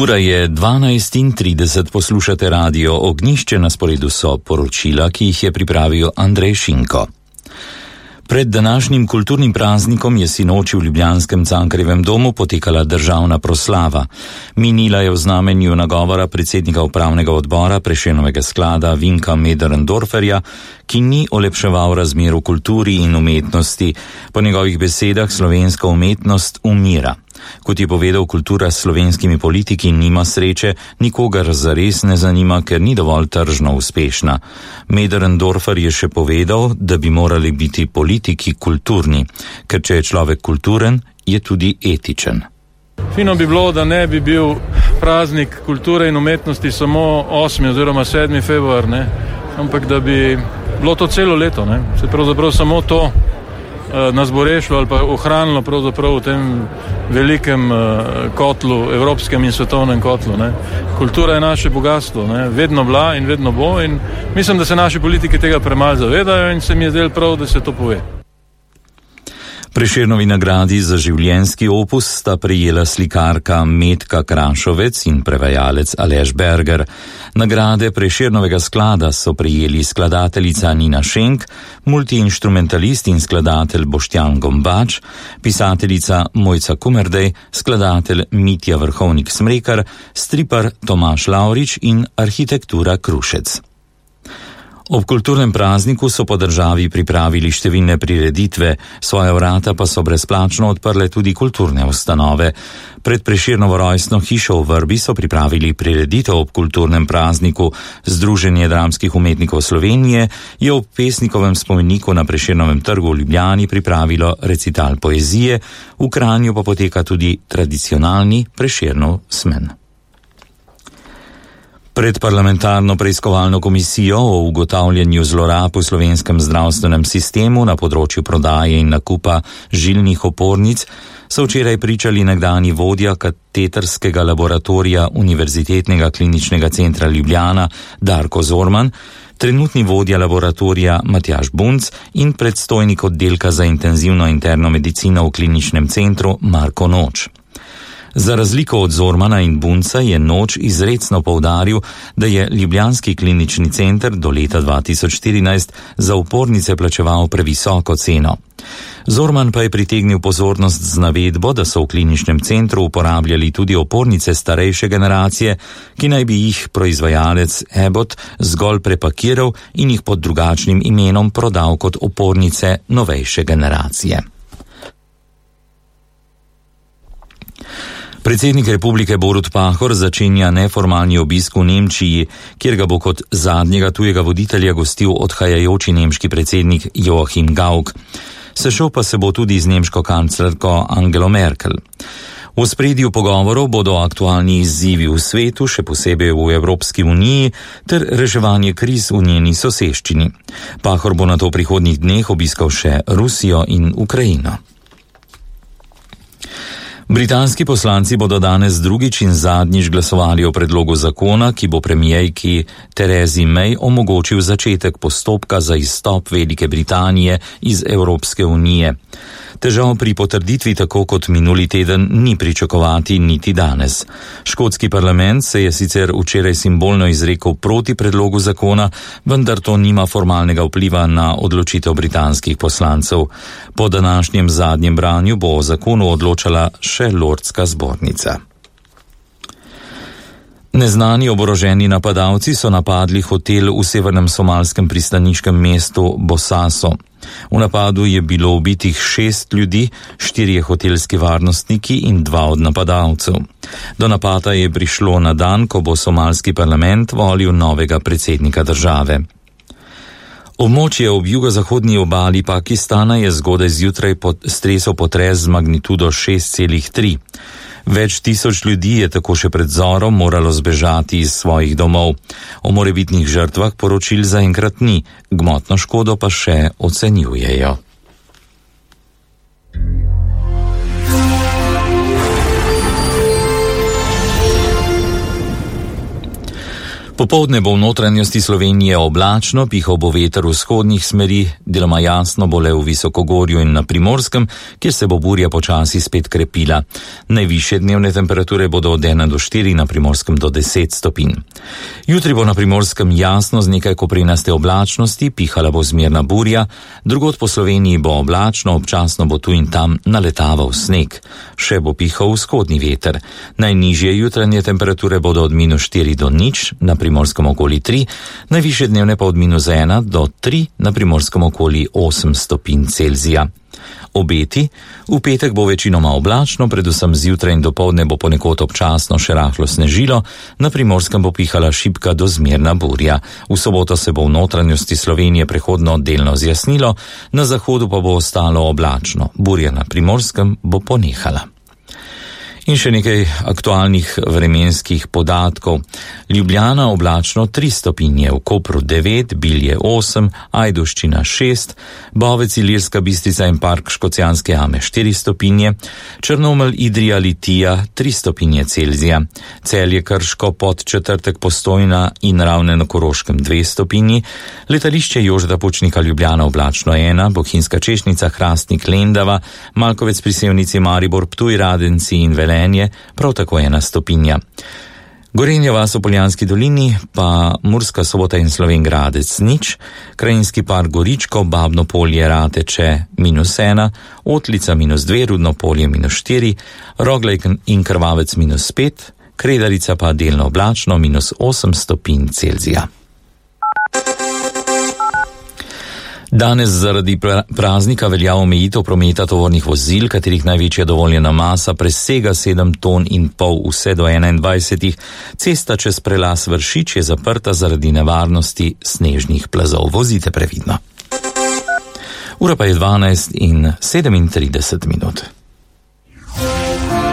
Ura je 12:30, poslušate radio Ognjišče, na sporedu so poročila, ki jih je pripravil Andrej Šinko. Pred današnjim kulturnim praznikom je sinoči v ljubljanskem Cankarjevem domu potekala državna proslava. Minila je v znamenju nagovora predsednika upravnega odbora Prešernovega sklada Vinka Möderndorferja, ki ni olepševal razmer v kulturi in umetnosti. Po njegovih besedah slovenska umetnost umira. Kot je povedal, kultura s slovenskimi politiki nima sreče, nikogar zares ne zanima, ker ni dovolj tržno uspešna. Möderndorfer je še povedal, da bi morali biti politiki kulturni, ker če je človek kulturen, je tudi etičen. Fino bi bilo, da ne bi bil praznik kulture in umetnosti samo 8. oziroma 7. februar, ne? Ampak da bi bilo to celo leto, ne? Se pravzaprav samo to nas bo rešilo ali pa ohranilo pravzaprav v tem velikem kotlu, evropskem in svetovnem kotlu. Ne. Kultura je naše bogatstvo, ne. Vedno bila in vedno bo, in mislim, da se naši politiki tega premalo zavedajo, in se mi je zdelo prav, da se to pove. Prešernovi nagradi za življenjski opus sta prejela slikarka Metka Krašovec in prevajalec Aleš Berger. Nagrade Prešernovega sklada so prejeli skladateljica Nina Šenk, multiinštrumentalist in skladatelj Boštjan Gombač, pisateljica Mojca Kumerdej, skladatelj Mitja Vrhovnik Smrekar, stripar Tomaž Lavrič in arhitektura Krušec. Ob kulturnem prazniku so po državi pripravili številne prireditve, svoja vrata pa so brezplačno odprle tudi kulturne ustanove. Pred Prešernovo rojstno hišo v Vrbi so pripravili prireditev ob kulturnem prazniku. Združenje dramskih umetnikov Slovenije je ob pesnikovem spomeniku na Prešernovem trgu v Ljubljani pripravilo recital poezije, v Kranju pa poteka tudi tradicionalni Prešernov smen. Pred parlamentarno preiskovalno komisijo o ugotavljanju zlorab v slovenskem zdravstvenem sistemu na področju prodaje in nakupa žilnih opornic so včeraj pričali nekdanji vodja katetrskega laboratorija Univerzitetnega kliničnega centra Ljubljana Darko Zorman, trenutni vodja laboratorija Matjaž Bunc in predstojnik oddelka za intenzivno interno medicino v kliničnem centru Marko Noč. Za razliko od Zormana in Bunca je Noč izrecno poudaril, da je ljubljanski klinični center do leta 2014 za opornice plačeval previsoko ceno. Zorman pa je pritegnil pozornost z navedbo, da so v kliničnem centru uporabljali tudi opornice starejše generacije, ki naj bi jih proizvajalec Abbott zgolj prepakiral in jih pod drugačnim imenom prodal kot opornice novejše generacije. Predsednik republike Borut Pahor začenja neformalni obisk v Nemčiji, kjer ga bo kot zadnjega tujega voditelja gostil odhajajoči nemški predsednik Joachim Gauck. Sešel pa se bo tudi z nemško kanclerko Angelo Merkel. V ospredju pogovorov bodo aktualni izzivi v svetu, še posebej v Evropski uniji, ter reševanje kriz v njeni soseščini. Pahor bo nato v prihodnjih dneh obiskal še Rusijo in Ukrajino. Britanski poslanci bodo danes drugič in zadnjič glasovali o predlogu zakona, ki bo premierki Theresi May omogočil začetek postopka za izstop Velike Britanije iz Evropske unije. Težav pri potrditvi tako kot minuli teden ni pričakovati niti danes. Škotski parlament se je sicer včeraj simbolno izrekel proti predlogu zakona, vendar to nima formalnega vpliva na odločitev britanskih poslancev. Po današnjem zadnjem branju bo o zakonu odločala še Lordska zbornica. Neznani oboroženi napadalci so napadli hotel v severnem somalskem pristaniškem mestu Bosaso. V napadu je bilo ubitih 6 ljudi, 4 hotelski varnostniki in 2 od napadalcev. Do napada je prišlo na dan, ko bo somalski parlament volil novega predsednika države. Območje ob jugozahodni obali Pakistana je zgodaj zjutraj stresel potres z magnitudo 6,3. Več tisoč ljudi je tako še pred zorom moralo zbežati iz svojih domov. O morebitnih žrtvah poročil zaenkrat ni, gmotno škodo pa še ocenjujejo. Popoldne bo v notranjosti Slovenije oblačno, pihal bo veter v vzhodnih smeri, deloma jasno bo le v Visokogorju in na Primorskem, kjer se bo burja počasi spet krepila. Najvišje dnevne temperature bodo od 1 do 4, na Primorskem do 10 stopinj. Jutri bo na Primorskem jasno z nekaj koprenaste oblačnosti, pihala bo zmerna burja, drugod po Sloveniji bo oblačno, občasno bo tu in tam naletaval sneg. Še bo pihal vzhodni veter. Najnižje jutranje temperature bodo od -4 do 0, na Primorskem okoli 3, najvišje dnevne pa od -1 do 3, na Primorskem okoli 8 stopinj Celzija. Obeti: v petek bo večinoma oblačno, predvsem zjutraj in dopoldne bo ponekod občasno še rahlo snežilo, na Primorskem bo pihala šibka do zmerna burja. V soboto se bo v notranjosti Slovenije prehodno delno zjasnilo, na zahodu pa bo ostalo oblačno. Burja na Primorskem bo ponehala. In še nekaj aktualnih vremenskih podatkov. Ljubljana oblačno 3 stopinje, v Kopru 9, Bilje 8, Ajdovščina 6, Bovec, Ilirska Bistrica in Park Škocjanske jame 4 stopinje, Črnomelj, Idrija, Litija 3 stopinje Celzija, Celje, Krško, Podčetrtek, Postojna in Ravne na Koroškem 2 stopinji, letališče Jožeta Pučnika Ljubljana oblačno 1, Bohinjska Češnjica, Hrastnik, Lendava, Malkovec pri Sevnici, Maribor, Ptuj, Radenci in Velenje prav tako 1 stopinja. Gorenja vas v Poljanski dolini, pa Murska Sobota in Slovenj Gradec 0, Krajinski park Goričko, Babno polje Rateče -1, Otlica -2, Rudno polje -4, Roglej in Krvavec -5, Kredarica pa delno oblačno -8 stopinj Celzija. Danes zaradi praznika velja omejitev prometa tovornih vozil, katerih največja dovoljena masa presega 7,5 ton vse do 21. Cesta čez prelaz Vršič je zaprta zaradi nevarnosti snežnih plazov. Vozite previdno. Ura pa je 12:37.